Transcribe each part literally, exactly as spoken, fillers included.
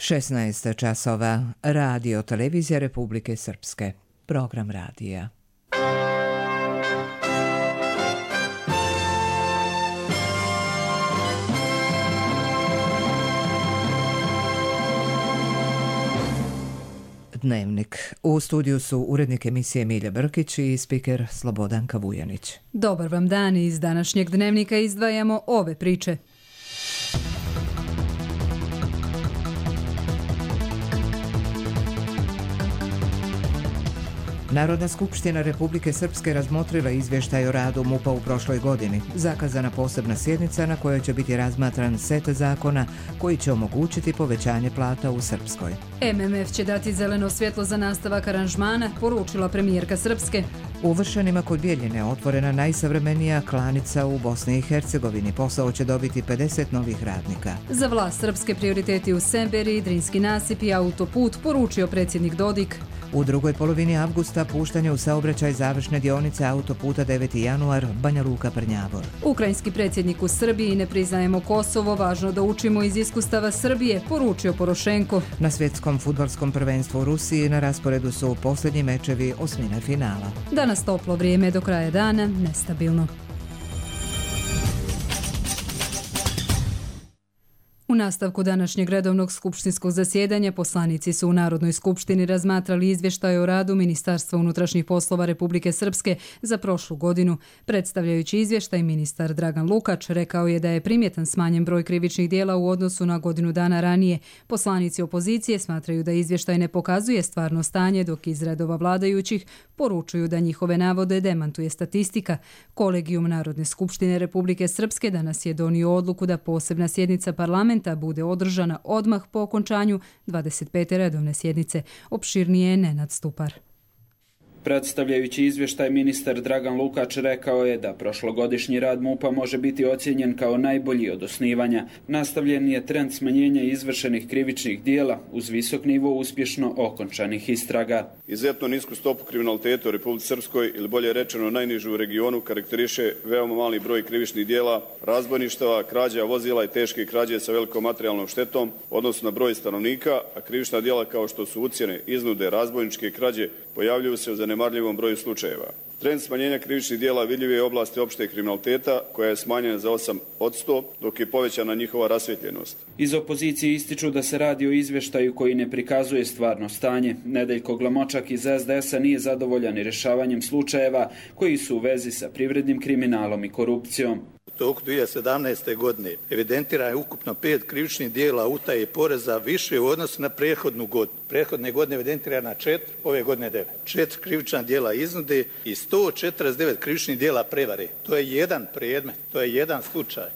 šesnaest časova. Radio Televizija Republike Srpske. Program radija. Dnevnik. U studiju su urednik emisije Milja Brkić i spiker Slobodanka Vujanić. Dobar vam dan, iz današnjeg dnevnika izdvajamo ove priče. Narodna skupština Republike Srpske razmotrila izvještaj o radu MUP-a u prošloj godini. Zakazana posebna sjednica na kojoj će biti razmatran set zakona koji će omogućiti povećanje plata u Srpskoj. M M F će dati zeleno svjetlo za nastavak aranžmana, poručila premijerka Srpske. U Vršanima kod Bjeljine otvorena najsavremenija klanica u Bosni i Hercegovini. Posao će dobiti pedeset novih radnika. Za vlast Srpske prioriteti u Semberiji, Drinski nasip i autoput, poručio predsjednik Dodik. U drugoj polovini avgusta puštanje u saobraćaj završne dionice autoputa deveti januar Banja Luka Prnjavor. Ukrajinski predsjednik u Srbiji: ne priznajemo Kosovo, važno da učimo iz iskustava Srbije, poručio Porošenko. Na svjetskom fudbalskom prvenstvu u Rusiji na rasporedu su posljednji mečevi osmine finala. Danas toplo vrijeme, do kraja dana nestabilno. U nastavku današnjeg redovnog skupštinskog zasjedanja poslanici su u Narodnoj skupštini razmatrali izvještaj o radu Ministarstva unutrašnjih poslova Republike Srpske za prošlu godinu. Predstavljajući izvještaj, ministar Dragan Lukač rekao je da je primjetan smanjen broj krivičnih djela u odnosu na godinu dana ranije. Poslanici opozicije smatraju da izvještaj ne pokazuje stvarno stanje, dok iz redova vladajućih poručuju da njihove navode demantuje statistika. Kolegijum Narodne skupštine Republike Srpske danas je donio odluku da posebna sjednica parlamenta bude održana odmah po okončanju dvadeset pete redovne sjednice. Opširnije je Nenad Stupar. Predstavljajući izvještaj, ministar Dragan Lukač rekao je da prošlogodišnji rad MUP-a može biti ocijenjen kao najbolji od osnivanja. Nastavljen je trend smanjenja izvršenih krivičnih dijela uz visok nivo uspješno okončanih istraga. Izuzetno nisku stopu kriminaliteta u Republici Srpskoj, ili bolje rečeno najnižu u regionu, karakteriše veoma mali broj krivičnih dijela, razbojništava, krađa vozila i teške krađe sa velikom materijalnom štetom, odnosno na broj stanovnika, a krivična dijela kao što su ucjene, iznude, razbojničke krađe pojavljuju se u zanemarljivom broju slučajeva. Trend smanjenja krivičnih dijela vidljiv je u oblasti opšte kriminaliteta, koja je smanjena za osam posto, dok je povećana njihova rasvjetljenost. Iz opozicije ističu da se radi o izvještaju koji ne prikazuje stvarno stanje. Nedeljko Glamočak iz S D S-a nije zadovoljan i rješavanjem slučajeva koji su u vezi sa privrednim kriminalom i korupcijom. U toku dvije hiljade sedamnaeste. godine evidentirano je ukupno pet krivičnih dijela utaje poreza više u odnosu na prethodnu godinu. Prethodne godine evidentirana četiri, ove godine devet. Četiri krivična dijela iznude i sto četrdeset devet krivičnih dijela prevare. To je jedan predmet, to je jedan slučaj.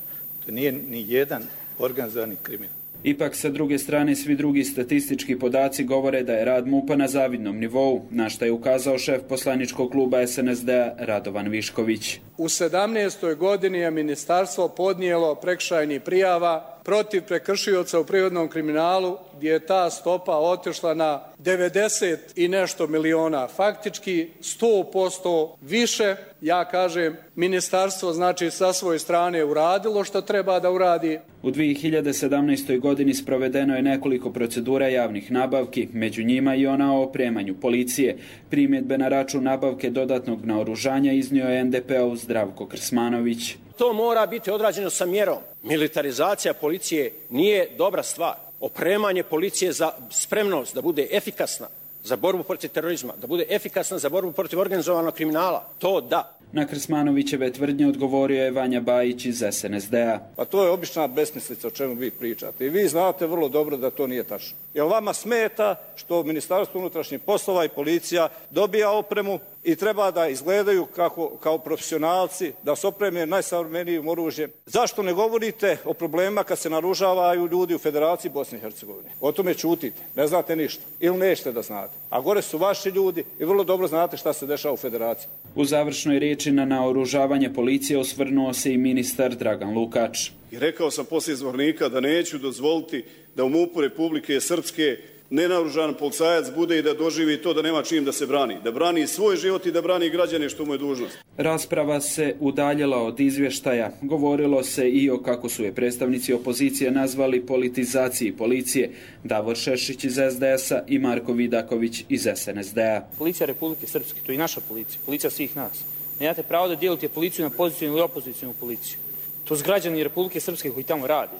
To nije ni jedan organizovani kriminal. Ipak, sa druge strane, svi drugi statistički podaci govore da je rad MUP-a na zavidnom nivou, na što je ukazao šef poslaničkog kluba S N S D-a Radovan Višković. U sedamnaestoj godini je ministarstvo podnijelo prekršajnih prijava protiv prekršioca u prirodnom kriminalu, gdje je ta stopa otišla na devedeset i nešto miliona, faktički sto posto više. Ja kažem, ministarstvo znači sa svoje strane uradilo što treba da uradi. U dvije hiljade sedamnaestoj. godini sprovedeno je nekoliko procedura javnih nabavki, među njima i ona o opremanju policije. Primjedbe na račun nabavke dodatnog naoružanja iznio je N D P-ov Zdravko Krsmanović. To mora biti odrađeno sa mjerom. Militarizacija policije nije dobra stvar. Opremanje policije za spremnost da bude efikasna za borbu protiv terorizma, da bude efikasna za borbu protiv organizovanog kriminala, to da. Na Krsmanovićeve tvrdnje odgovorio je Vanja Bajić iz S N S D-a. Pa to je obična besmislica o čemu vi pričate. I vi znate vrlo dobro da to nije tačno. Jer vama smeta što Ministarstvo unutrašnjih poslova i policija dobija opremu i treba da izgledaju kako, kao profesionalci, da se opreme najsavremenijim oružjem. Zašto ne govorite o problemima kad se naružavaju ljudi u Federaciji Bosne i Hercegovine? O tome ćutite, ne znate ništa ili nećete da znate. A gore su vaši ljudi i vrlo dobro znate šta se dešava u Federaciji. U završnoj riječi na naoružavanje policije osvrnuo se i ministar Dragan Lukač. I rekao sam poslije izvornika da neću dozvoliti da u MUP-u Republike Srpske nenaoružan policajac bude i da doživi to da nema čim da se brani. Da brani svoj život i da brani građane, što mu je dužnost. Rasprava se udaljila od izvještaja. Govorilo se i o, kako su je predstavnici opozicije nazvali, politizaciji policije. Davor Šešić iz es de es a i Marko Vidaković iz es en es de a. Policija Republike Srpske, to je i naša policija, policija svih nas. Nemate pravo da dijelite policiju na pozicijnu ili opozicijnu policiju. To su građani Republike Srpske koji tamo radi.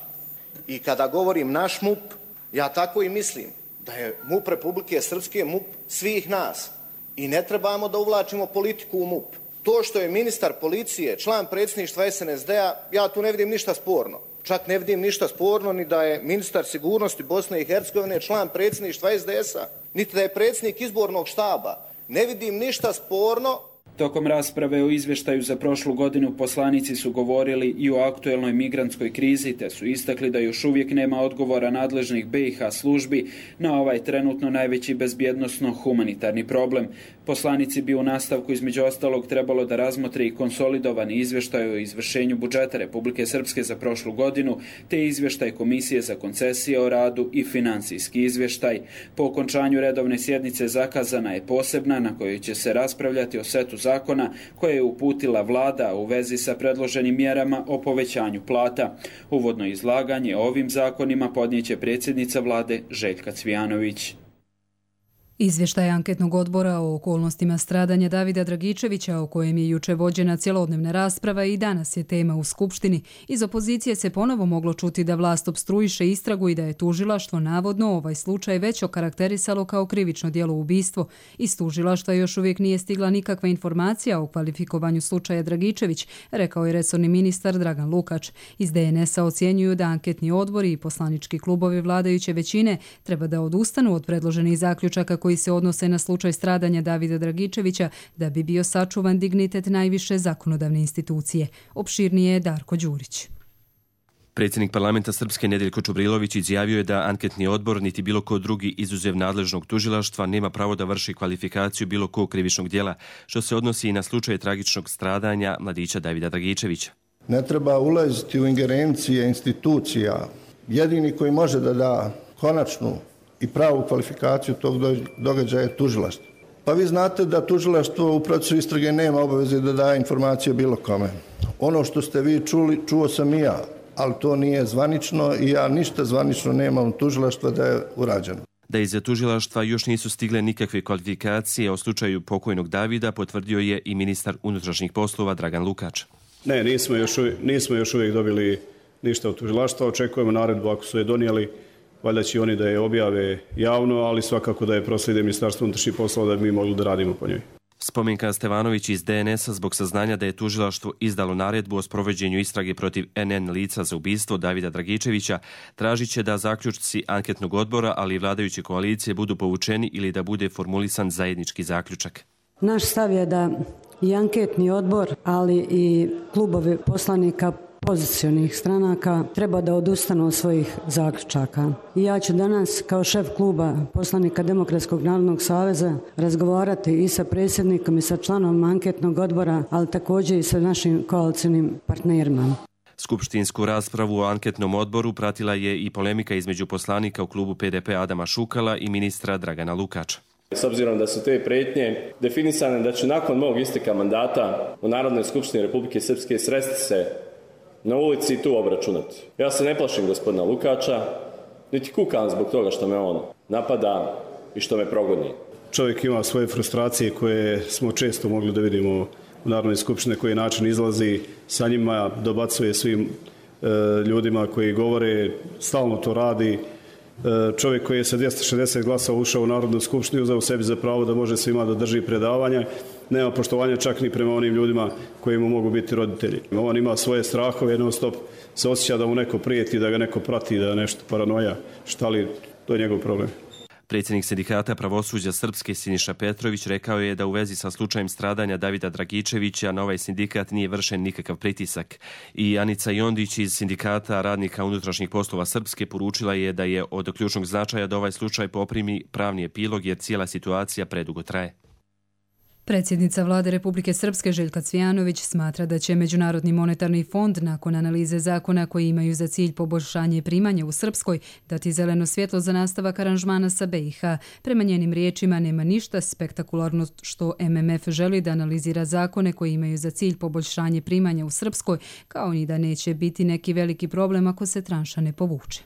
I kada govorim naš M U P, ja tako i mislim da je M U P Republike Srpske M U P svih nas. I ne trebamo da uvlačimo politiku u M U P. To što je ministar policije član predsjedništva es en es de a, ja tu ne vidim ništa sporno. Čak ne vidim ništa sporno ni da je ministar sigurnosti Bosne i Hercegovine član predsjedništva es de es a, niti da je predsjednik izbornog štaba. Ne vidim ništa sporno. Tokom rasprave o izvještaju za prošlu godinu poslanici su govorili i o aktuelnoj migrantskoj krizi, te su istakli da još uvijek nema odgovora nadležnih be i ha službi na ovaj trenutno najveći bezbjednosno-humanitarni problem. Poslanici bi u nastavku između ostalog trebalo da razmotre i konsolidovani izvještaj o izvršenju budžeta Republike Srpske za prošlu godinu, te izvještaj Komisije za koncesije o radu i financijski izvještaj. Po okončanju redovne sjednice zakazana je posebna na kojoj će se raspravljati o setu zakona koje je uputila vlada u vezi sa predloženim mjerama o povećanju plata. Uvodno izlaganje o ovim zakonima podnijeće predsjednica vlade Željka Cvijanović. Izvještaj anketnog odbora o okolnostima stradanja Davida Dragičevića, o kojem je juče vođena cjelodnevna rasprava i danas je tema u Skupštini. Iz opozicije se ponovo moglo čuti da vlast opstruiše istragu i da je tužilaštvo navodno ovaj slučaj već okarakterisalo kao krivično djelo ubistvo. Iz tužilaštva još uvijek nije stigla nikakva informacija o kvalifikovanju slučaja Dragičević, rekao je resorni ministar Dragan Lukač. Iz de en es a ocjenjuju da anketni odbori i poslanički klubovi vladajuće većine treba da odustanu od predloženih zaključaka koji se odnose na slučaj stradanja Davida Dragičevića da bi bio sačuvan dignitet najviše zakonodavne institucije. Opširnije je Darko Đurić. Predsjednik parlamenta Srpske Nedeljko Čubrilović izjavio je da anketni odbor niti bilo ko drugi izuzev nadležnog tužilaštva nema pravo da vrši kvalifikaciju bilo kog krivičnog djela, što se odnosi i na slučaj tragičnog stradanja mladića Davida Dragičevića. Ne treba ulaziti u ingerencije institucija. Jedini koji može da da konačnu i pravu kvalifikaciju tog događaja je tužilaštvo. Pa vi znate da tužilaštvo u procesu istrage nema obaveze da daje informacije bilo kome. Ono što ste vi čuli, čuo sam i ja, ali to nije zvanično i ja ništa zvanično nemam tužilaštva da je urađeno. Da iz tužilaštva još nisu stigle nikakve kvalifikacije o slučaju pokojnog Davida, potvrdio je i ministar unutrašnjih poslova Dragan Lukač. Ne, nismo još, nismo još uvijek dobili ništa od tužilaštva. Očekujemo naredbu ako su je donijeli. Valjda će oni da je objave javno, ali svakako da je proslijede Ministarstvo unutrašnjih poslova da bi mi mogli da radimo po njoj. Spomenka Stevanović iz de en es a zbog saznanja da je tužilaštvo izdalo naredbu o sprovođenju istrage protiv en en lica za ubistvo Davida Dragičevića, tražit će da zaključci anketnog odbora, ali i vladajuće koalicije budu povučeni ili da bude formulisan zajednički zaključak. Naš stav je da i anketni odbor, ali i klubovi poslanika pozicionih stranaka treba da odustanu od svojih zaključaka. I ja ću danas kao šef kluba poslanika Demokratskog narodnog saveza razgovarati i sa predsjednikom i sa članom anketnog odbora, ali također i sa našim koalicijnim partnerima. Skupštinsku raspravu o anketnom odboru pratila je i polemika između poslanika u klubu pe de pe Adama Šukala i ministra Dragana Lukača. S obzirom da su te prijetnje definisane da će nakon mog isteka mandata u Narodnoj skupštini Republike Srpske sresti se na ulici i tu obračunati. Ja se ne plašim gospodina Lukača, niti kukam zbog toga što me on napada i što me progoni. Čovjek ima svoje frustracije koje smo često mogli da vidimo u Narodnoj skupštini, koji način izlazi sa njima, dobacuje svim e, ljudima koji govore, stalno to radi. E, čovjek koji je sa dvjesto šezdeset glasova ušao u Narodnu skupštinu, uzeo sebi za pravo da može svima da drži predavanje, nema poštovanja čak ni prema onim ljudima koji mu mogu biti roditelji. On ima svoje strahove, jednom stop se osjeća da mu neko prijeti, da ga neko prati, da nešto paranoja, šta li, to je njegov problem. Predsjednik sindikata pravosuđa Srpske Siniša Petrović rekao je da u vezi sa slučajem stradanja Davida Dragičevića na ovaj sindikat nije vršen nikakav pritisak. I Anica Jondić iz sindikata radnika unutrašnjih poslova Srpske poručila je da je od ključnog značaja da ovaj slučaj poprimi pravni epilog jer cijela situacija predugo traje. Predsjednica Vlade Republike Srpske Željka Cvijanović smatra da će Međunarodni monetarni fond nakon analize zakona koji imaju za cilj poboljšanje primanja u Srpskoj dati zeleno svjetlo za nastavak aranžmana sa B i H. Prema njenim riječima nema ništa spektakularno što M M F želi da analizira zakone koji imaju za cilj poboljšanje primanja u Srpskoj, kao ni da neće biti neki veliki problem ako se tranša ne povuče.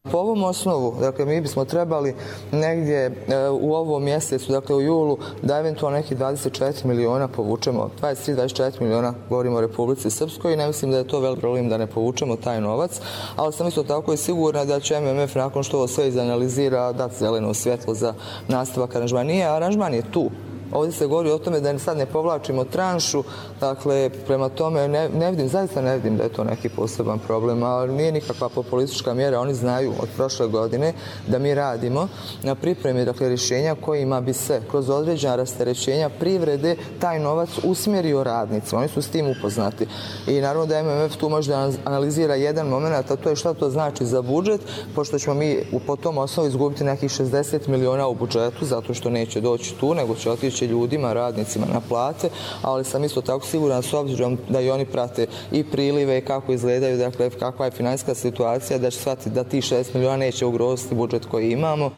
Po ovom osnovu, dakle, mi bismo trebali negdje e, u ovom mjesecu, dakle u julu, da eventualno neki dvadeset četiri miliona povučemo, dvadeset tri do dvadeset četiri miliona, govorimo o Republici Srpskoj, i ne mislim da je to velik problem da ne povučemo taj novac, ali sam isto tako i sigurna da će M M F nakon što ovo sve izanalizira dati zeleno svjetlo za nastavak aranžmana. Nije, aranžman je tu. Ovdje se govori o tome da sad ne povlačimo tranšu, dakle, prema tome ne, ne vidim, zaista ne vidim da je to neki poseban problem, ali nije nikakva populistička mjera. Oni znaju od prošle godine da mi radimo na pripremi, dakle, rješenja kojima bi se kroz određena rasterećenja privrede taj novac usmjerio radnicima. Oni su s tim upoznati. I naravno da M M F tu može da analizira jedan moment, a to je šta to znači za budžet, pošto ćemo mi po tom osnovu izgubiti nekih šezdeset miliona u budžetu, zato što neće doći tu, nego će otići ljudima, radnicima na plate, ali sam isto tako siguran s obzirom da i oni prate i prilive i kako izgledaju, dakle kakva je financijska situacija, da će shvatiti da ti šest miliona neće ugroziti budžet koji imamo.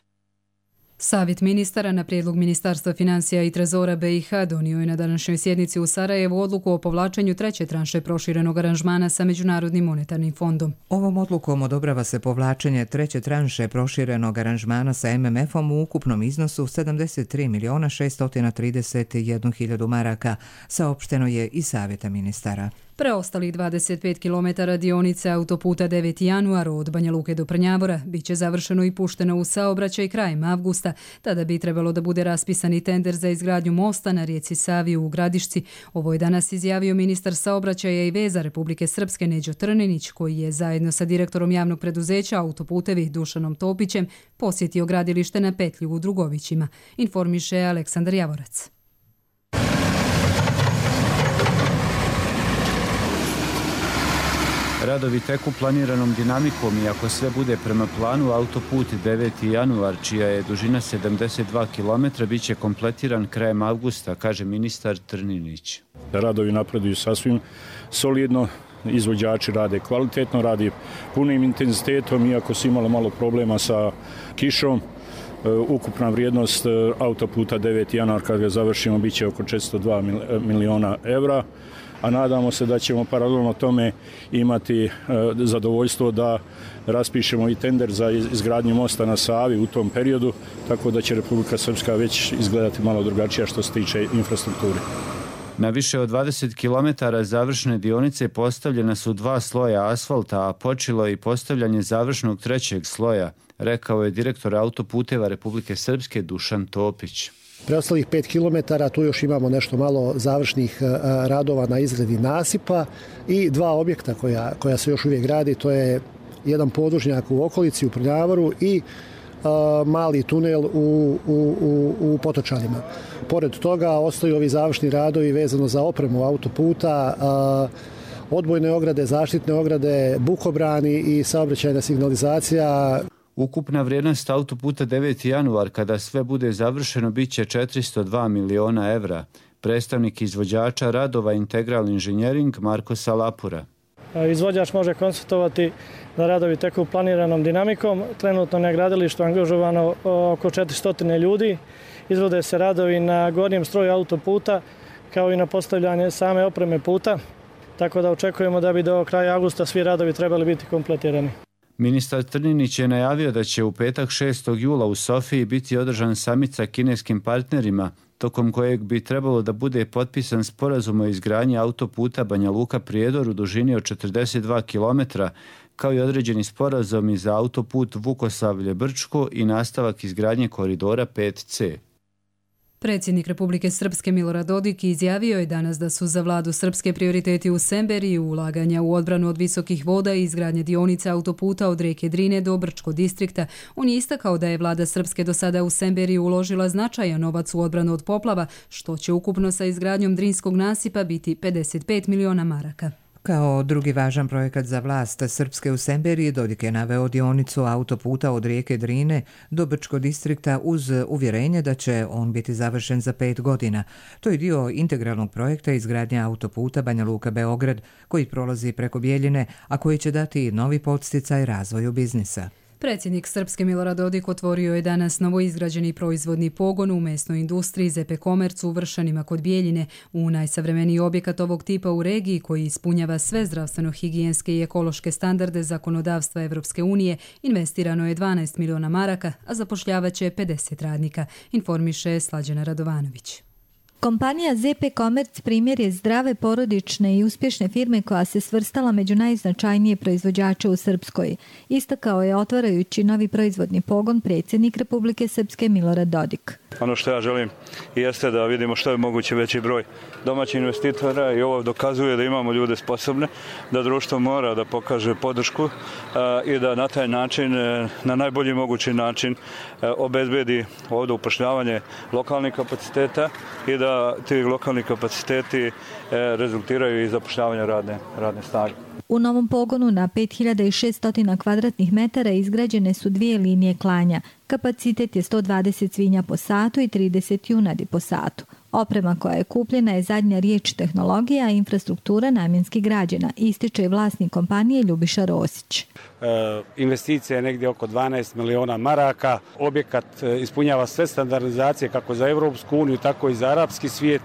Savjet ministara na prijedlog Ministarstva financija i trezora B i H donio je na današnjoj sjednici u Sarajevu odluku o povlačenju treće tranše proširenog aranžmana sa Međunarodnim monetarnim fondom. Ovom odlukom odobrava se povlačenje treće tranše proširenog aranžmana sa M M F-om u ukupnom iznosu sedamdeset tri miliona šesto trideset jednu hiljadu maraka, saopšteno je iz Savjeta ministara. Preostalih dvadeset pet kilometara dionice autoputa deveti januar od Banja Luke do Prnjavora bit će završeno i pušteno u saobraćaj krajem avgusta. Tada bi trebalo da bude raspisani tender za izgradnju mosta na rijeci Savi u Gradišci. Ovo je danas izjavio ministar saobraćaja i veza Republike Srpske Neđo Trninić, koji je zajedno sa direktorom javnog preduzeća Autoputevi Dušanom Topićem posjetio gradilište na petlju u Drugovićima, informiše Aleksandar Javorac. Radovi teku planiranom dinamikom i ako sve bude prema planu, autoput deveti januar, čija je dužina sedamdeset dva kilometra, bit će kompletiran krajem avgusta, kaže ministar Trninić. Radovi napreduju sasvim solidno, izvođači rade kvalitetno, radi punim intenzitetom, iako su imali malo problema sa kišom. Ukupna vrijednost autoputa deveti januar, kad ga završimo, bit će oko četiristo dva miliona evra. A nadamo se da ćemo paralelno tome imati zadovoljstvo da raspišemo i tender za izgradnju mosta na Savi u tom periodu, tako da će Republika Srpska već izgledati malo drugačija što se tiče infrastrukture. Na više od dvadeset kilometara završne dionice postavljena su dva sloja asfalta, a počelo je i postavljanje završnog trećeg sloja, rekao je direktor Autoputeva Republike Srpske Dušan Topić. Preostalih pet kilometara, tu još imamo nešto malo završnih radova na izradi nasipa i dva objekta koja, koja se još uvijek gradi, to je jedan podvožnjak u okolici u Prnjavoru i a, mali tunel u, u, u, u Potočanima. Pored toga ostaju ovi završni radovi vezano za opremu autoputa, a, odbojne ograde, zaštitne ograde, bukobrani i saobraćajna signalizacija. Ukupna vrijednost autoputa deveti januar, kada sve bude završeno, bit će četiristo dva miliona evra. Predstavnik izvođača radova Integral Inženjering Marko Salapura. Izvođač može konstatovati da radovi teku planiranom dinamikom. Trenutno na gradilištu angažovano oko četiristo ljudi. Izvode se radovi na gornjem stroju autoputa kao i na postavljanje same opreme puta. Tako da očekujemo da bi do kraja avgusta svi radovi trebali biti kompletirani. Ministar Trninić je najavio da će u petak šestog jula u Sofiji biti održan samit sa kineskim partnerima, tokom kojeg bi trebalo da bude potpisan sporazum o izgradnji autoputa Banja Luka-Prijedor u dužini od četrdeset dva kilometra, kao i određeni sporazumi za autoput Vukosavlje-Brčko i nastavak izgradnje koridora pet ce. Predsjednik Republike Srpske Milorad Dodik izjavio je danas da su za vladu Srpske prioriteti u Semberiji ulaganja u odbranu od visokih voda i izgradnje dionice autoputa od rijeke Drine do Brčko distrikta. On je istakao da je vlada Srpske do sada u Semberiji uložila značajan novac u odbranu od poplava, što će ukupno sa izgradnjom Drinskog nasipa biti pedeset pet miliona maraka. Kao drugi važan projekat za vlast Srpske u Semberiji, Dodik je naveo dionicu autoputa od rijeke Drine do Brčkog distrikta uz uvjerenje da će on biti završen za pet godina. To je dio integralnog projekta izgradnje autoputa Banja Luka-Beograd koji prolazi preko Bijeljine, a koji će dati novi podsticaj razvoju biznisa. Predsjednik Srpske Milorad Dodik otvorio je danas novoizgrađeni proizvodni pogon u mesnoj industriji Z P Komerc u Vršanima kod Bijeljine, u najsavremeniji objekat ovog tipa u regiji koji ispunjava sve zdravstveno-higijenske i ekološke standarde zakonodavstva Evropske unije. Investirano je dvanaest miliona maraka, a zapošljavaće pedeset radnika, informiše Slađana Radovanović. Kompanija Z P Komerc primjer je zdrave, porodične i uspješne firme koja se svrstala među najznačajnije proizvođače u Srpskoj. Istakao je otvarajući novi proizvodni pogon predsjednik Republike Srpske Milorad Dodik. Ono što ja želim jeste da vidimo što je moguće veći broj domaćih investitora i ovo dokazuje da imamo ljude sposobne, da društvo mora da pokaže podršku i da na taj način, na najbolji mogući način obezbedi ovdje upošljavanje lokalnih kapaciteta i da ti lokalni kapaciteti rezultiraju i zapošljavanje radne, radne snage. U novom pogonu na pet hiljada šesto kvadratnih metara izgrađene su dvije linije klanja. Kapacitet je sto dvadeset svinja po satu i trideset junadi po satu. Oprema koja je kupljena je zadnja riječ tehnologija, a infrastruktura namjenski građena, ističe i vlasnik kompanije Ljubiša Rosić. E, investicija je negdje oko dvanaest miliona maraka. Objekat ispunjava sve standardizacije kako za Evropsku uniju, tako i za arapski svijet,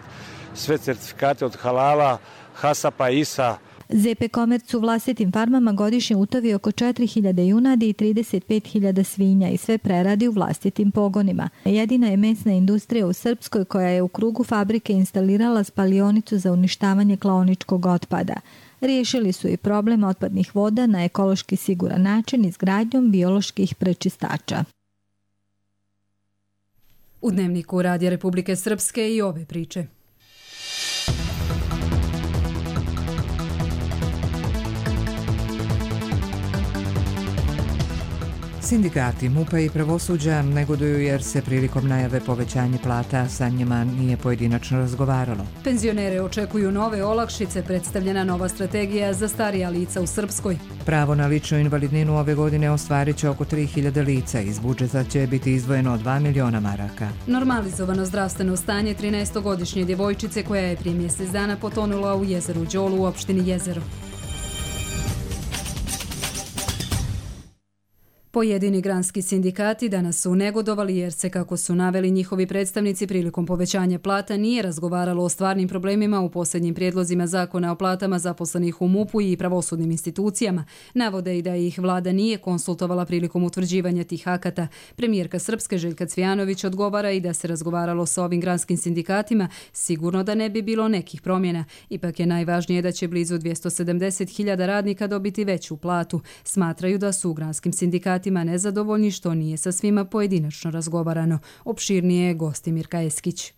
sve certifikate od halala, hasapa, isa. Z P Komerc u vlastitim farmama godišnje utovi oko četiri hiljade junadi i trideset pet hiljada svinja i sve preradi u vlastitim pogonima. Jedina je mesna industrija u Srpskoj koja je u krugu fabrike instalirala spalionicu za uništavanje klaoničkog otpada. Riješili su i problem otpadnih voda na ekološki siguran način izgradnjom bioloških prečistača. U Dnevniku Radija Republike Srpske i ove priče. Sindikati MUP-a i pravosuđa negoduju jer se prilikom najave povećanja plata sa njima nije pojedinačno razgovaralo. Penzionere očekuju nove olakšice, predstavljena nova strategija za starija lica u Srpskoj. Pravo na ličnu invalidninu ove godine ostvarit će oko tri hiljade lica. Iz budžeta će biti izdvojeno dva miliona maraka. Normalizovano zdravstveno stanje trinaestogodišnje djevojčice koja je prije mjesec dana potonula u jezeru Đolu u opštini Jezero. Pojedini granski sindikati danas su negodovali jer se, kako su naveli njihovi predstavnici, prilikom povećanja plata nije razgovaralo o stvarnim problemima u posljednjim prijedlozima zakona o platama zaposlenih u MUP-u i pravosudnim institucijama. Navode i da ih vlada nije konsultovala prilikom utvrđivanja tih akata. Premijerka Srpske Željka Cvijanović odgovara i da se razgovaralo sa ovim granskim sindikatima, sigurno da ne bi bilo nekih promjena. Ipak je najvažnije da će blizu dvjesto sedamdeset hiljada radnika dobiti veću platu. Smatraju da su u granskim sindikatima nezadovoljni što nije sa svima pojedinačno razgovarano. Opširnije je Gostimir Kajeskić.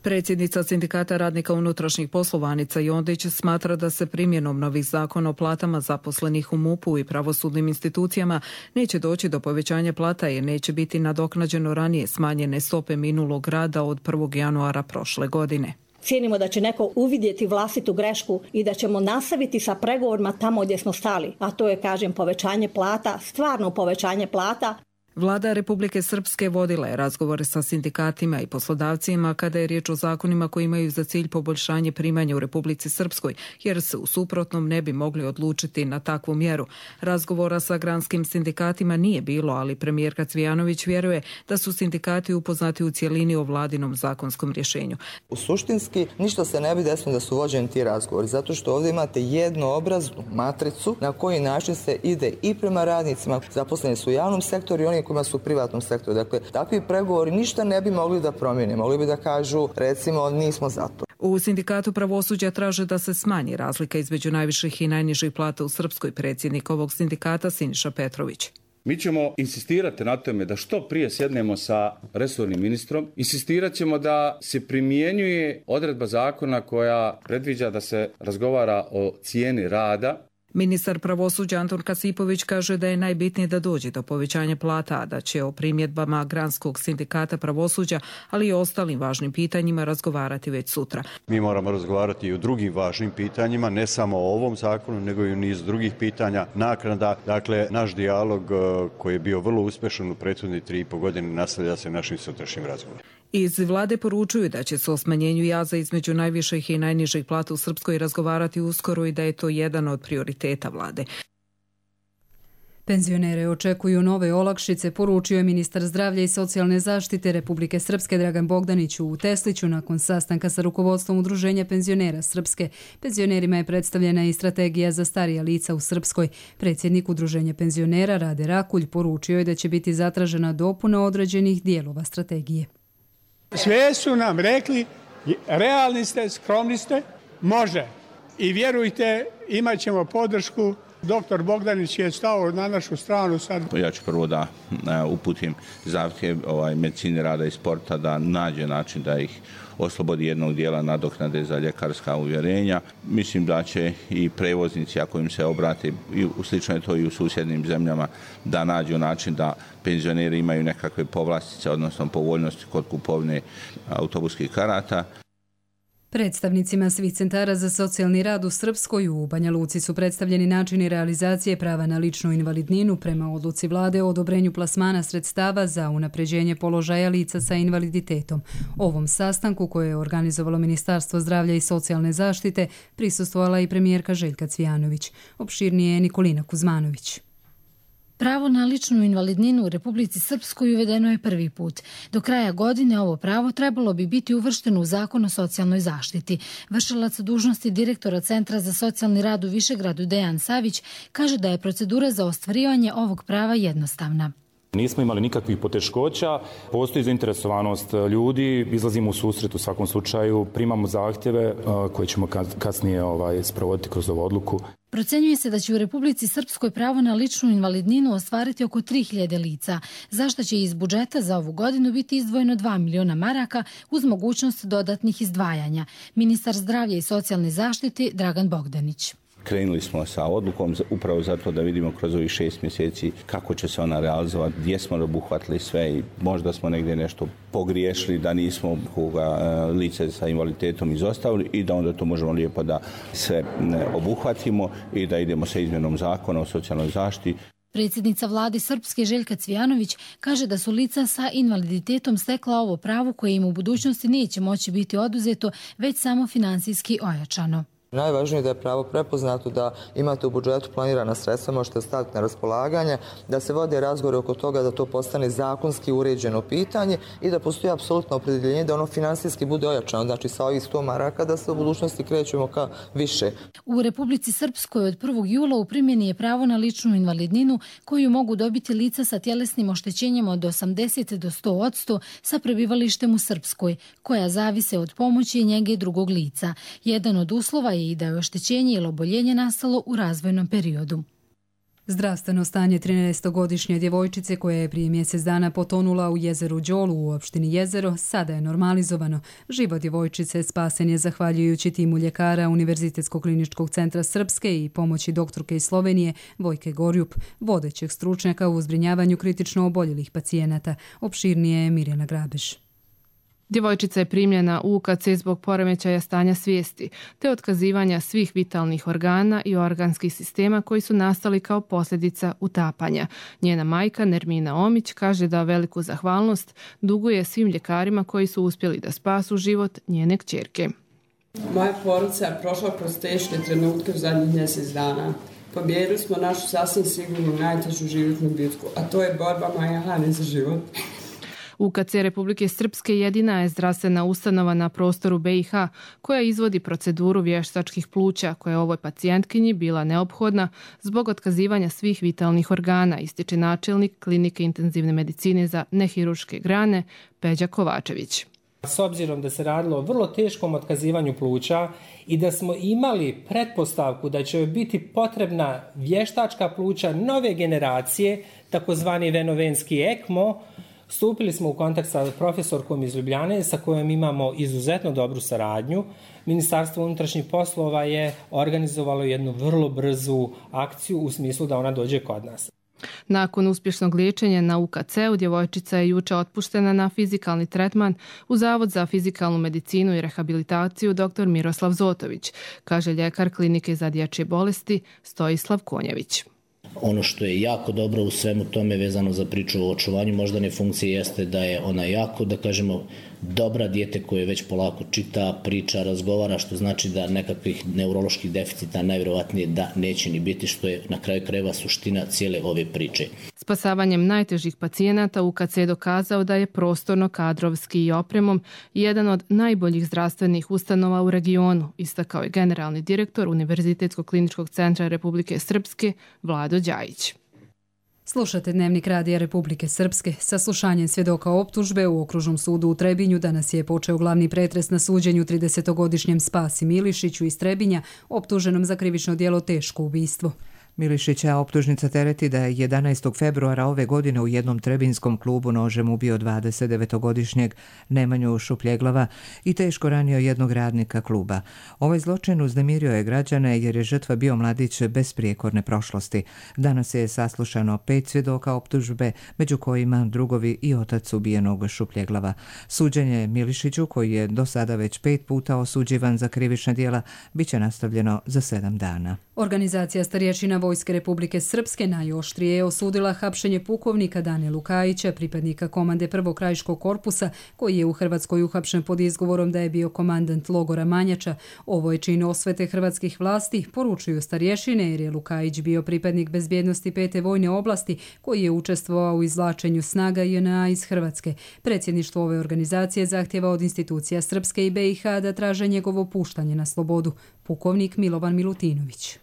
Predsjednica Sindikata radnika unutrašnjih poslova Anica Jondić smatra da se primjenom novih zakona o platama zaposlenih u MUP-u i pravosudnim institucijama neće doći do povećanja plata jer neće biti nadoknađeno ranije smanjene stope minulog rada od prvog januara prošle godine. Cijenimo da će neko uvidjeti vlastitu grešku i da ćemo nastaviti sa pregovorima tamo gdje smo stali, a to je, kažem, povećanje plata, stvarno povećanje plata. Vlada Republike Srpske vodila je razgovore sa sindikatima i poslodavcima kada je riječ o zakonima koji imaju za cilj poboljšanje primanja u Republici Srpskoj, jer se u suprotnom ne bi mogli odlučiti na takvu mjeru. Razgovora sa granskim sindikatima nije bilo, ali premijerka Cvijanović vjeruje da su sindikati upoznati u cjelini o vladinom zakonskom rješenju. U suštinski ništa se ne bi desilo da su vođeni ti razgovori, zato što ovdje imate jednoobraznu matricu na koji način se ide i prema radnicima, zaposleni su u javnom sektoru i oni kojima su u privatnom sektoru. Dakle, takvi pregovori ništa ne bi mogli da promijene. Mogli bi da kažu, recimo, nismo za to. U sindikatu pravosuđa traže da se smanji razlika između najviših i najnižih plata u Srpskoj. Predsjednik ovog sindikata Siniša Petrović. Mi ćemo insistirati na tome da što prije sjednemo sa resornim ministrom. Insistirat ćemo da se primjenjuje odredba zakona koja predviđa da se razgovara o cijeni rada Ministar pravosuđa Antun Kasipović kaže da je najbitnije da dođe do povećanja plata, da će o primjedbama Granskog sindikata pravosuđa, ali i ostalim važnim pitanjima razgovarati već sutra. Mi moramo razgovarati i o drugim važnim pitanjima, ne samo o ovom zakonu, nego i o niz drugih pitanja, naknada. Dakle, naš dijalog koji je bio vrlo uspešan u prethodne tri i po godine nastavlja se našim sutrašnjim razgovorom. Iz vlade poručuju da će se o smanjenju jaza između najviših i najnižih plata u Srpskoj razgovarati uskoro i da je to jedan od prioriteta vlade. Penzionere očekuju nove olakšice, poručio je ministar zdravlja i socijalne zaštite Republike Srpske Dragan Bogdanić u Tesliću nakon sastanka sa rukovodstvom Udruženja penzionera Srpske. Penzionerima je predstavljena i strategija za starija lica u Srpskoj. Predsjednik Udruženja penzionera Rade Rakulj poručio je da će biti zatražena dopuna određenih dijelova strategije. Sve su nam rekli, realni ste, skromni ste, može. I vjerujte, imat ćemo podršku. Doktor Bogdanić je stao na našu stranu sad. Ja ću prvo da uputim zahtjev ovaj, medicine rada i sporta da nađe način da ih oslobodi jednog dijela nadoknade za ljekarska uvjerenja. Mislim da će i prevoznici, ako im se obrati, i slično je to i u susjednim zemljama, da nađu način da penzioneri imaju nekakve povlastice, odnosno povoljnosti kod kupovne autobuskih karata. Predstavnicima svih centara za socijalni rad u Srpskoj u Banja Luci su predstavljeni načini realizacije prava na ličnu invalidninu prema odluci vlade o odobrenju plasmana sredstava za unapređenje položaja lica sa invaliditetom. Ovom sastanku koje je organizovalo Ministarstvo zdravlja i socijalne zaštite prisustvovala i premijerka Željka Cvijanović. Opširnije je Nikolina Kuzmanović. Pravo na ličnu invalidninu u Republici Srpskoj uvedeno je prvi put. Do kraja godine ovo pravo trebalo bi biti uvršteno u Zakon o socijalnoj zaštiti. Vršilac dužnosti direktora Centra za socijalni rad u Višegradu Dejan Savić kaže da je procedura za ostvarivanje ovog prava jednostavna. Nismo imali nikakvih poteškoća, postoji zainteresovanost ljudi, izlazimo u susret u svakom slučaju, primamo zahtjeve koje ćemo kasnije ovaj, sprovoditi kroz ovu odluku. Procenjuje se da će u Republici Srpskoj pravo na ličnu invalidninu ostvariti oko tri hiljade lica, zašto će iz budžeta za ovu godinu biti izdvojeno dva miliona maraka uz mogućnost dodatnih izdvajanja. Ministar zdravlja i socijalne zaštite Dragan Bogdanić. Krenuli smo sa odlukom upravo zato da vidimo kroz ovih šest mjeseci kako će se ona realizovati, gdje smo obuhvatili sve i možda smo negdje nešto pogriješili da nismo koga lice sa invaliditetom izostavili i da onda to možemo lijepo da sve obuhvatimo i da idemo sa izmjenom zakona o socijalnoj zaštiti. Predsjednica vlade Srpske Željka Cvijanović kaže da su lica sa invaliditetom stekla ovo pravo koje im u budućnosti neće moći biti oduzeto, već samo finansijski ojačano. Najvažnije je da je pravo prepoznato, da imate u budžetu planirana sredstva, možete staviti na raspolaganje, da se vode razgovori oko toga da to postane zakonski uređeno pitanje i da postoji apsolutno opredjeljenje da ono finansijski bude ojačano, znači sa ovih sto maraka da se u budućnosti krećemo ka više. U Republici Srpskoj od prvog jula u primjeni je pravo na ličnu invalidninu koju mogu dobiti lica sa tjelesnim oštećenjem od osamdeset do sto odsto sa prebivalištem u Srpskoj, koja zavise od pomoći i njege drugog lica. Jedan od uslova je i da je oštećenje ili oboljenje nastalo u razvojnom periodu. Zdravstveno stanje trinaestogodišnje djevojčice koja je prije mjesec dana potonula u jezeru Đolu u opštini Jezero sada je normalizovano. Život djevojčice spasen je zahvaljujući timu ljekara Univerzitetskog kliničkog centra Srpske i pomoći doktorke iz Slovenije Vojke Gorjup, vodećeg stručnjaka u zbrinjavanju kritično oboljelih pacijenata. Opširnije je Mirjana Grabež. Djevojčica je primljena u U K C zbog poremećaja stanja svijesti, te otkazivanja svih vitalnih organa i organskih sistema koji su nastali kao posljedica utapanja. Njena majka Nermina Omić kaže da veliku zahvalnost duguje svim ljekarima koji su uspjeli da spasu život njene kćerke. Moja porodica je prošla kroz teške trenutke u zadnjih mjesec dana. Pobijedili smo našu sasvim sigurnu najtežu životnu bitku, a to je borba Maje Hane za život. U K C Republike Srpske jedina je zdravstvena ustanova na prostoru B i H koja izvodi proceduru vještačkih pluća koja je ovoj pacijentkinji bila neophodna zbog otkazivanja svih vitalnih organa, ističe načelnik klinike intenzivne medicine za nehiruške grane Peđa Kovačević. S obzirom da se radilo o vrlo teškom otkazivanju pluća i da smo imali pretpostavku da će biti potrebna vještačka pluća nove generacije, takozvani venovenski ekmo, Stupili smo u kontakt sa profesorkom iz Ljubljane sa kojom imamo izuzetno dobru saradnju. Ministarstvo unutrašnjih poslova je organizovalo jednu vrlo brzu akciju u smislu da ona dođe kod nas. Nakon uspješnog liječenja na U K C-u, djevojčica je juče otpuštena na fizikalni tretman u Zavod za fizikalnu medicinu i rehabilitaciju dr. Miroslav Zotović, kaže ljekar klinike za dječje bolesti Stojislav Konjević. Ono što je jako dobro u svemu tome vezano za priču o očuvanju moždane funkcije jeste da je ona jako, da kažemo, dobra dijete koje već polako čita, priča, razgovara, što znači da nekakvih neuroloških deficita najvjerovatnije da neće ni biti, što je na kraju krajeva suština cijele ove priče. Spasavanjem najtežih pacijenata U K C je dokazao da je prostorno, kadrovski i opremom jedan od najboljih zdravstvenih ustanova u regionu, istakao je generalni direktor Univerzitetskog kliničkog centra Republike Srpske Vlado Đajić. Slušate Dnevnik radija Republike Srpske. Saslušanjem svjedoka optužbe u Okružnom sudu u Trebinju danas je počeo glavni pretres na suđenju tridesetogodišnjem Spasi Milišiću iz Trebinja, optuženom za krivično djelo teško ubistvo. Milišića optužnica tereti da je jedanaestog februara ove godine u jednom trebinskom klubu nožem ubio dvadesetdevetogodišnjeg Nemanju Šupljeglava i teško ranio jednog radnika kluba. Ovaj zločin uznemirio je građane jer je žrtva bio mladić bez prijekorne prošlosti. Danas je saslušano pet svjedoka optužbe, među kojima drugovi i otac ubijenog Šupljeglava. Suđenje Milišiću, koji je do sada već pet puta osuđivan za krivična djela, bit će nastavljeno za sedam dana. Organizacija starješina Vojske Republike Srpske najoštrije je osudila hapšenje pukovnika Dane Lukajića, pripadnika komande prvog krajiškog korpusa, koji je u Hrvatskoj uhapšen pod izgovorom da je bio komandant logora Manjača. Ovo je čin osvete hrvatskih vlasti, poručuju starješine, jer je Lukajić bio pripadnik bezbjednosti pete vojne oblasti koji je učestvovao u izvlačenju snaga J N A iz Hrvatske. Predsjedništvo ove organizacije zahtjeva od institucija Srpske i B i H da traže njegovo puštanje na slobodu. Pukovnik Milovan Milutinović.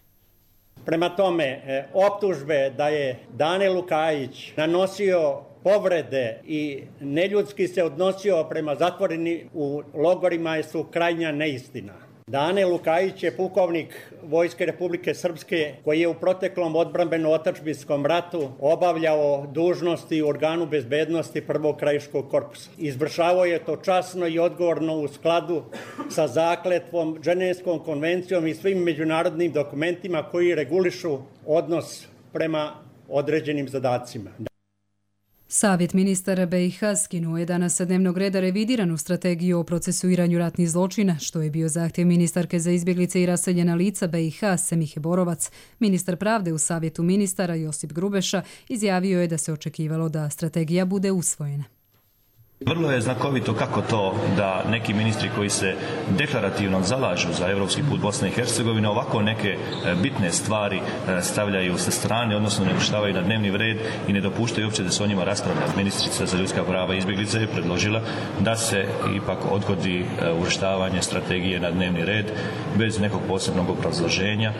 Prema tome, optužbe da je Dane Lukajić nanosio povrede i neljudski se odnosio prema zatvoreni u logorima su krajnja neistina. Dane Lukajić je pukovnik Vojske Republike Srpske koji je u proteklom odbrambeno-otadžbinskom ratu obavljao dužnosti u organu bezbednosti prvog krajiškog korpusa. Izvršavao je to časno i odgovorno u skladu sa zakletvom, Ženevskom konvencijom i svim međunarodnim dokumentima koji regulišu odnos prema određenim zadacima. Savjet ministara B i H skinuo je danas sa dnevnog reda revidiranu strategiju o procesuiranju ratnih zločina, što je bio zahtjev ministarke za izbjeglice i raseljena lica B i H Semihe Borovac. Ministar pravde u Savjetu ministara Josip Grubeša izjavio je da se očekivalo da strategija bude usvojena. Vrlo je znakovito kako to da neki ministri koji se deklarativno zalažu za evropski put Bosne i Hercegovine ovako neke bitne stvari stavljaju sa strane, odnosno ne puštavaju na dnevni red i ne dopuštaju uopće da se o njima raspravlja. Ministrica za ljudska prava i izbjeglice je predložila da se ipak odgodi uvrštavanje strategije na dnevni red bez nekog posebnog obrazloženja.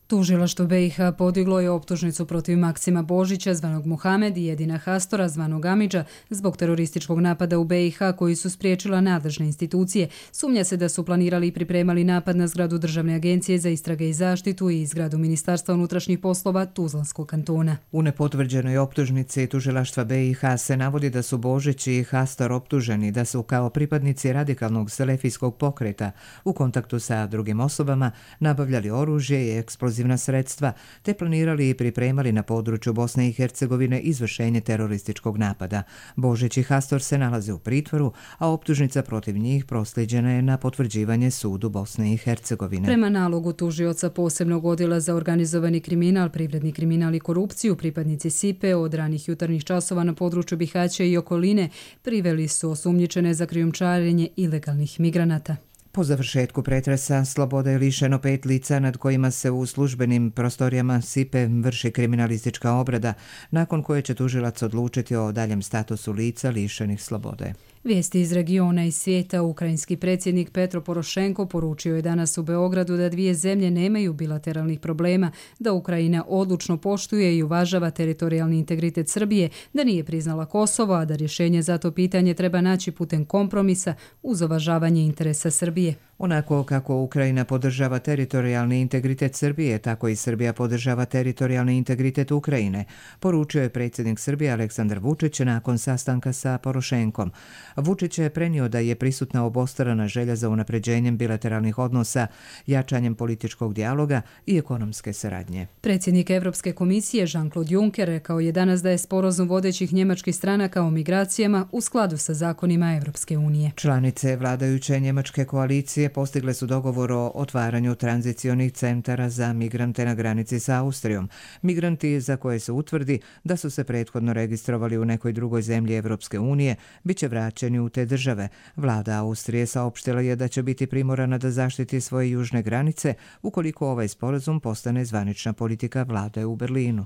Tužilaštvo B i H podiglo je optužnicu protiv Maksima Božića, zvanog Muhamed, i Edina Hastora, zvanog Amidža, zbog terorističkog napada u B i H koji su spriječila nadležne institucije. Sumnja se da su planirali i pripremali napad na zgradu Državne agencije za istrage i zaštitu i zgradu Ministarstva unutrašnjih poslova Tuzlanskog kantona. U nepotvrđenoj optužnici tužilaštva B i H se navodi da su Božić i Hastor optuženi da su kao pripadnici radikalnog selefijskog pokreta u kontaktu sa drugim osobama nabavljali oružje i eksplozivna sredstva, te planirali i pripremali na području Bosne i Hercegovine izvršenje terorističkog napada. Božić i Hastor se nalaze u pritvoru, a optužnica protiv njih prosljeđena je na potvrđivanje sudu Bosne i Hercegovine. Prema nalogu tužioca posebnog odjela za organizovani kriminal, privredni kriminal i korupciju, pripadnici S I P E od ranih jutarnjih časova na području Bihaća i okoline priveli su osumnjičene za krijumčarenje ilegalnih migranata. Po završetku pretresa sloboda je lišeno pet lica nad kojima se u službenim prostorijama S I P E vrši kriminalistička obrada, nakon koje će tužilac odlučiti o daljem statusu lica lišenih slobode. Vijesti iz regiona i svijeta. Ukrajinski predsjednik Petro Porošenko poručio je danas u Beogradu da dvije zemlje nemaju bilateralnih problema, da Ukrajina odlučno poštuje i uvažava teritorijalni integritet Srbije, da nije priznala Kosovo, a da rješenje za to pitanje treba naći putem kompromisa uz uvažavanje interesa Srbije. Onako kako Ukrajina podržava teritorijalni integritet Srbije, tako i Srbija podržava teritorijalni integritet Ukrajine, poručio je predsjednik Srbije Aleksandar Vučić nakon sastanka sa Porošenkom. Vučić je prenio da je prisutna obostrana želja za unapređenjem bilateralnih odnosa, jačanjem političkog dijaloga i ekonomske saradnje. Predsjednik Evropske komisije Jean-Claude Juncker rekao je danas da je sporazum vodećih njemačkih stranaka o migracijama u skladu sa zakonima Evropske unije. Članice vladajuće njemačke koalicije postigle su dogovor o otvaranju tranzicionih centara za migrante na granici sa Austrijom. Migranti za koje se utvrdi da su se prethodno registrovali u nekoj drugoj zemlji Evropske unije bit će vraćeni u te države. Vlada Austrije saopštila je da će biti primorana da zaštiti svoje južne granice ukoliko ovaj sporazum postane zvanična politika vlade u Berlinu.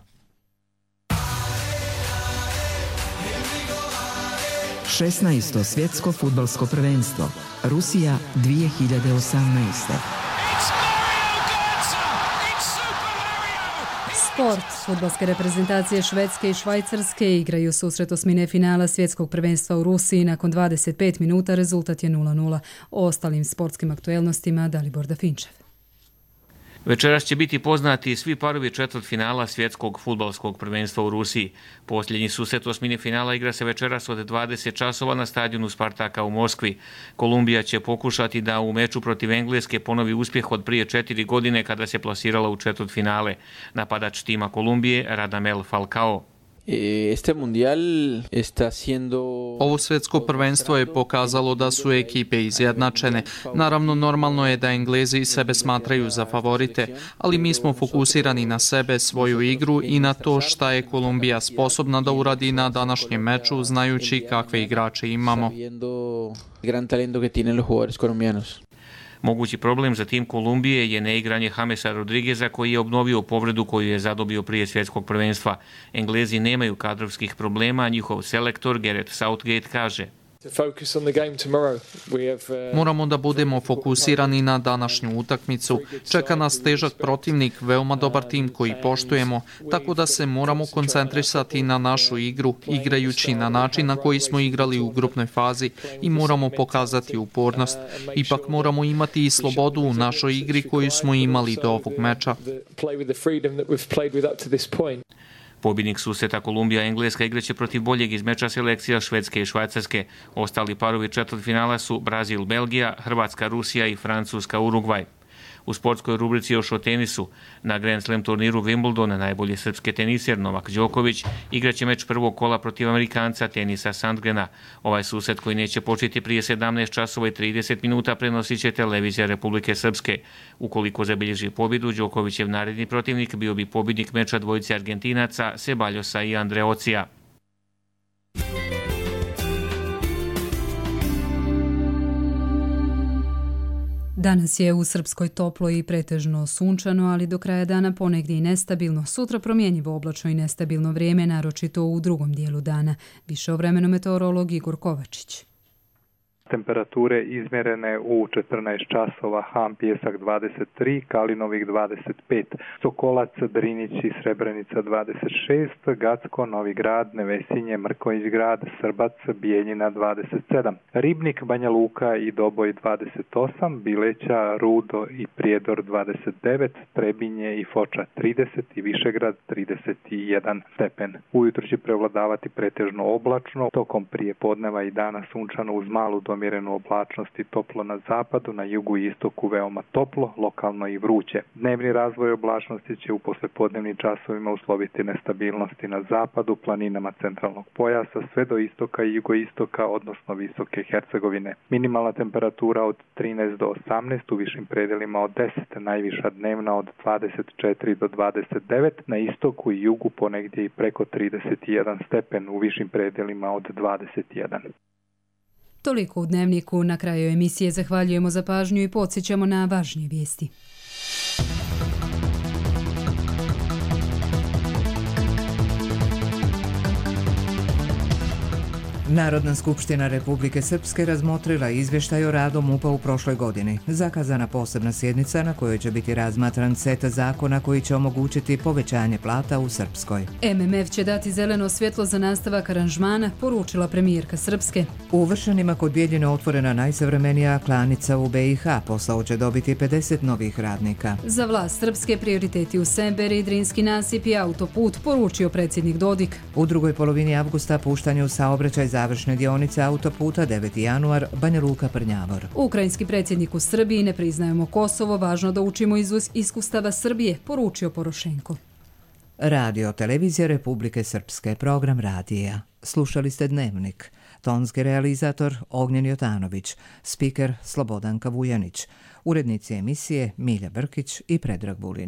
šesnaesto svjetsko fudbalsko prvenstvo Rusija dvije hiljade osamnaeste. Sport. Fudbalske reprezentacije Švedske i Švajcarske igraju susret osmine finala svjetskog prvenstva u Rusiji. Nakon dvadeset pet minuta rezultat je nula nula. O ostalim sportskim aktuelnostima Dalibor Dafinčev. Večeras će biti poznati svi parovi četvrtfinala svjetskog fudbalskog prvenstva u Rusiji. Posljednji susret osmine finala igra se večeras od dvadeset časova na stadionu Spartaka u Moskvi. Kolumbija će pokušati da u meču protiv Engleske ponovi uspjeh od prije četiri godine kada se plasirala u četvrtfinale. Napadač tima Kolumbije Radamel Falcao. Este mundial está siendo... Ovo svjetsko prvenstvo je pokazalo da su ekipe izjednačene. Naravno, normalno je da Englezi sebe smatraju za favorite, ali mi smo fokusirani na sebe, svoju igru i na to šta je Kolumbija sposobna da uradi na današnjem meču, znajući kakve igrače imamo. Gran talento que tienen los jugadores colombianos. Mogući problem za tim Kolumbije je neigranje Jamesa Rodrigueza koji je obnovio povredu koju je zadobio prije svjetskog prvenstva. Englezi nemaju kadrovskih problema, njihov selektor Gareth Southgate kaže: Moramo da budemo fokusirani na današnju utakmicu. Čeka nas težak protivnik, veoma dobar tim koji poštujemo, tako da se moramo koncentrisati na našu igru, igrajući na način na koji smo igrali u grupnoj fazi i moramo pokazati upornost. Ipak moramo imati i slobodu u našoj igri koju smo imali do ovog meča. Pobjednik susreta Kolumbija-Engleska igraće protiv boljeg iz meča selekcija Švedske i Švajcarske. Ostali parovi četvrtfinala su Brazil-Belgija, Hrvatska-Rusija i Francuska-Urugvaj. U sportskoj rubrici još o tenisu. Na Grand Slam turniru Wimbledona najbolji srpski teniser Novak Đoković igraće meč prvog kola protiv Amerikanca Tenisa Sandgrena. Ovaj susret koji neće početi prije sedamnaest časova i trideset minuta prenosit će televizija Republike Srpske. Ukoliko zabilježi pobjedu, Đokovićev naredni protivnik bio bi pobjednik meča dvojice Argentinaca Ceballosa i Andreocija. Danas je u Srpskoj toplo i pretežno sunčano, ali do kraja dana ponegdje i nestabilno. Sutra promjenjivo oblačno i nestabilno vrijeme, naročito u drugom dijelu dana. Više o vremenu meteorolog Igor Kovačić. Temperature izmjerene u četrnaest časova, Ham Pjesak dvadeset tri, Kalinovik dvadeset pet, Sokolac, Drinić i Srebrenica dvadeset šest, Gacko, Novi Grad, Nevesinje, Mrkonjić Grad, Srbac, Bijeljina dvadeset sedam, Ribnik, Banja Luka i Doboj dvadeset osam, Bileća, Rudo i Prijedor dvadeset devet, Trebinje i Foča trideset i Višegrad trideset jedan stepen. Ujutro će prevladavati pretežno oblačno, tokom prije podneva i dana sunčano uz malu do umjerenu oblačnost i toplo na zapadu, na jugu i istoku veoma toplo, lokalno i vruće. Dnevni razvoj oblačnosti će u poslepodnevnim časovima usloviti nestabilnosti na zapadu, planinama centralnog pojasa, sve do istoka i jugoistoka, odnosno visoke Hercegovine. Minimalna temperatura od trinaest do osamnaest, u višim predelima od deset, najviša dnevna od dvadeset četiri do dvadeset devet, na istoku i jugu ponegdje i preko trideset jedan stepen, u višim predelima od dvadeset jedan. Toliko u Dnevniku. Na kraju emisije zahvaljujemo za pažnju i podsjećamo na važnije vijesti. Narodna skupština Republike Srpske razmotrila izvještaj o radu MUP-a u prošloj godini. Zakazana posebna sjednica na kojoj će biti razmatran set zakona koji će omogućiti povećanje plata u Srpskoj. M M F će dati zeleno svjetlo za nastavak aranžmana, poručila premijerka Srpske. U Vršanima kod Bijeljine otvorena najsavremenija klanica u B i H. Posao će dobiti pedeset novih radnika. Za vlast Srpske prioriteti u Semberi, Drinski nasip i autoput, poručio predsjednik Dodik. U drugoj polovini avgusta puštanje u saobraćaj završne dionice autoputa deveti januar Banja Luka Prnjavor. Ukrajinski predsjednik u Srbiji: ne priznajemo Kosovo, važno da učimo iz iskustava Srbije, poručio Porošenko. Radio televizija Republike Srpske, program radija. Slušali ste Dnevnik. Tonski realizator Ognjen Jotanović, spiker Slobodanka Vujanić, urednici emisije Milja Brkić i Predrag Bulin.